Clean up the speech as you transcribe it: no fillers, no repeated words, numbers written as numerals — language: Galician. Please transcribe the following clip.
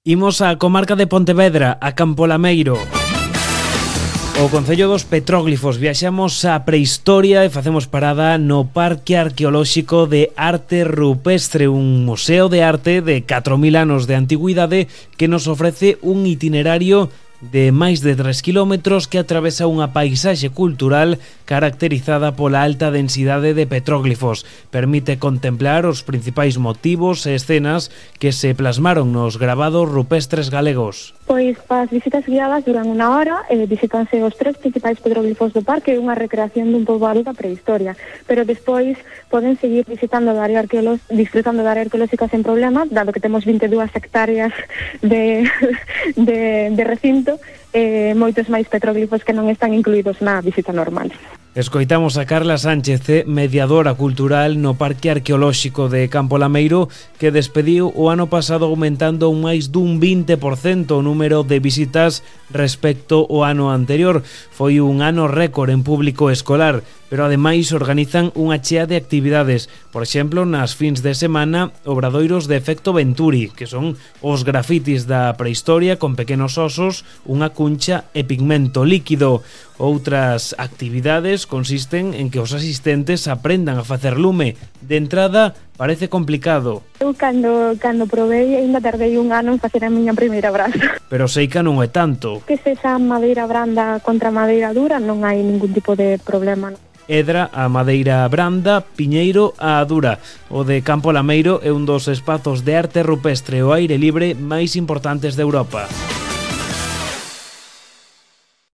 Imos á comarca de Pontevedra, a Campo Lameiro. O Concello dos Petróglifos. Viaxamos á prehistoria e facemos parada no Parque Arqueolóxico de Arte Rupestre, un museo de arte de 4.000 anos de antigüidade que nos ofrece un itinerario de máis de 3 kilómetros que atravesa unha paisaxe cultural caracterizada pola alta densidade de petróglifos. Permite contemplar os principais motivos e escenas que se plasmaron nos gravados rupestres galegos. Pois as visitas guiadas duran unha hora e visitanse os 3 principais petróglifos do parque e unha recreación dun poboado da prehistoria. Pero despois poden seguir visitando a área disfrutando da área arqueolóxica sen problema, dado que temos 22 hectáreas de recinto e moitos máis petróglifos que non están incluídos na visita normal. Escoitamos a Carla Sánchez, mediadora cultural no Parque Arqueolóxico de Campo Lameiro, que despediu o ano pasado aumentando un máis dun 20% o número de visitas respecto ao ano anterior. Foi un ano récord en público escolar, pero ademais organizan unha chea de actividades. Por exemplo, nas fins de semana, obradoiros de efecto Venturi, que son os grafitis da prehistoria con pequenos osos, unha cuncha e pigmento líquido. Outras actividades consisten en que os asistentes aprendan a facer lume. De entrada, parece complicado. Eu cando probei, ainda tardei un ano en facer a miña primeira brasa. Pero sei que non é tanto. Que se xa madeira branda contra madeira dura non hai ningún tipo de problema. Edra a madeira branda, Piñeiro a dura. O de Campo Lameiro é un dos espazos de arte rupestre ao aire libre máis importantes de Europa.